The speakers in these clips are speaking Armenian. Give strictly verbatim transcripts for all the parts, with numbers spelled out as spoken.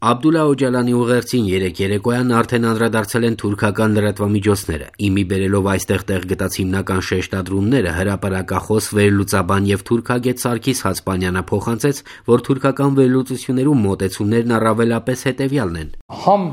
Աբդուլլա Օջալանի ուղերձին երեկ երեկոյան արդեն անդրադարձել են թուրքական լրատվամիջոցները, իմի բերելով այստեղ տեղ գտած հիմնական շեշտադրումները հրապարակախոս վերլուծաբան եւ թուրքագետ Սարգիս Հացպանյանը փոխանցեց, որ թուրքական վերլուծություններում մոտեցումներն առավելապես հետեւյալն են. Համ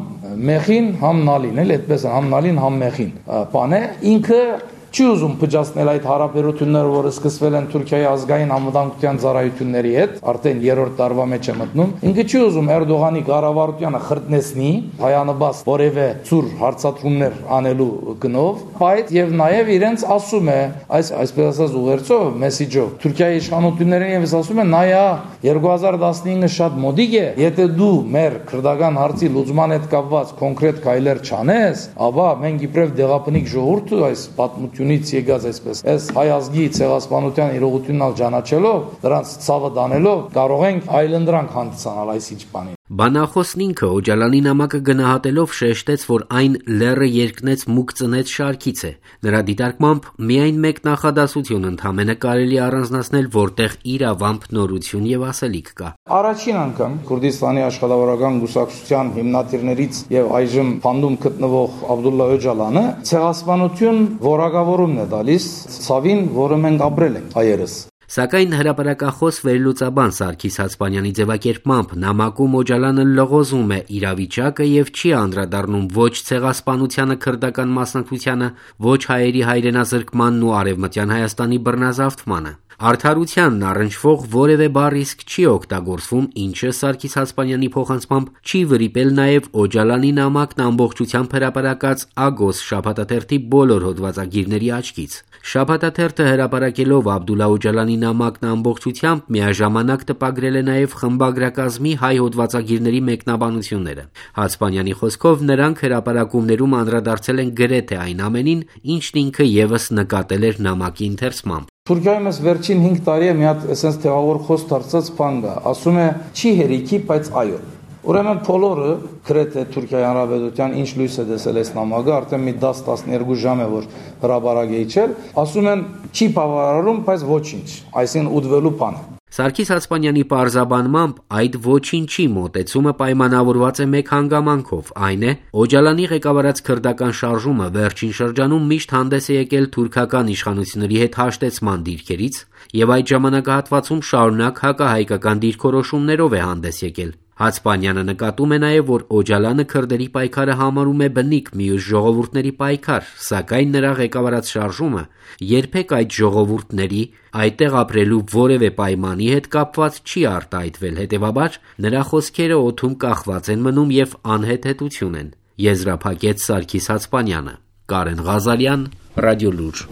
մեղին, համ նալին, էլ այդպես է, համ նալին, համ մեղին։ Բան է, ինքը չի ուզում փճացնել այդ հարաբերությունները, որը սկսվել են Թուրքիայի ազգային անվտանգության ծառայությունների հետ, արդեն երրորդ տարվա մեջ է մտնում։ Ինքը չի ուզում Էրդողանի կառավարությանը խրտնեցնի, հայանաբաց որևէ ծուր հարցադրումներ անելու գնով, բայց եւ նաեւ իրենց ասում է, այս այսպես ասած ուղերձով, մեսիջով, Թուրքիայի իշխանություններին եւս ասում է, նայա, երկու հազար տասնինը շատ մոդիկ է, եթե դու մեր քրդական հարցի լուծման հետ կապված կոնկրետ քայլեր չանես, ապա մենք իբրև դեղաբնիկ ժողովուրդը այս պատմությունից եկած այսպես այս հայ ազգի ցեղասպանության իրողությունն ճանաչելով, դրանց ցավը դանելով, կարող ենք այլընտրանք հանդիսանալ այսինչ բանի։ Բանախոսն ինքը Օջալանի նամակը գնահատելով շեշտեց, որ այն լեռը երկնեց մուկ ծնեց շարքից է։ Նրա դիտարկմամբ միայն մեկ նախադասություն ընդհանրապես կարելի առանձնացնել, որտեղ իրավամբ նորություն եւ ասելիք կա։ Առաջին անգամ Քուրդիստանի աշխատավորական կուսակցության հիմնադիրներից եւ այժմ փանդում գտնվող Աբդուլլա Օջալանը ցեղասպանություն որակավորումն է տալիս ցավին, որը մենք ապրել ենք հայերս։ Սակայն հրապարակախոս վերլուծաբան Սարգիս Հացպանյանի ձևակերպմամբ նամակում Օջալանը լղոզում է իրավիճակը եւ չի անդրադառնում ոչ ցեղասպանությանը քրդական մասնակցությանը, ոչ հայերի հայրենազրկմանն ու արևմտյան Հայաստանի բռնազավթմանը։ Արդարությանն առնչվող որևէ բառ իսկ չի օգտագործվում, ինչը Սարգիս Հացպանյանի փոխանցմամբ չի վրիպել նաեւ Օջալանի նամակն ամբողջությամբ հրապարակած Ագոս շաբաթաթերթի բոլոր հոդվածագիրների աչքից։ Շաբաթաթերթը հրապարակելով Աբդուլլա Օջալանի նամակն ամբողջությամբ միաժամանակ տպագրել է նաև խմբագրակազմի հայ հոդվածագիրների մեկնաբանությունները։ Հացպանյանի խոսքով նրանք հրապարակումներում անդրադարձել են գրեթե այն ամենին, ինչն ինքը եւս նկատել էր նամակի ընթերցմամբ։ Թուրքիայում ես վերջին հինգ տարի է մի հատ էսենց թեղավոր խոսք դարձած բան կա, ասում է չի հերիքի, բայց այո։ Ուրեմն բոլորը գրեթե Թուրքիայի Հանրապետության ինչ լույս է տեսել այս նամակը, արդեն մի դաս տասներկու ժամ է որ հրապարակ է իջել, ասում են չի բավարարում, բայց ոչինչ, այսինքն ուտվելու բան է։ Սարգիս Հացպանյանի պարզաբանմամբ այդ ոչինչի մոտեցումը պայմանավորված է մեկ հանգամանքով, այն է Օջալանի ղեկավարած քրդական շարժումը վերջին շրջանում միշտ հանդես է եկել թուրքական իշխանությունների հետ հաշտեցման դիրքերից եւ այդ ժամանակահատվածում շարունակ հակահայկական դիրքորոշումներով է հանդես եկել։ Հացպանյանը նկատում է նաև, որ Օջալանը քրդերի պայքարը համարում է բնիկ մյուս ժողովուրդների պայքար, սակայն նրա ղեկավարած շարժումը երբեք այդ ժողովուրդների այդտեղ ապրելու որևէ պայմանի հետ կապված չի արտահայտվել, հետևաբար նրա խոսքերը օդում կախված են մնում եւ անհեթեթություն են, եզրափակեց Սարգիս Հացպանյանը։ Կարեն Ղազարյան, Ռադիոլուր։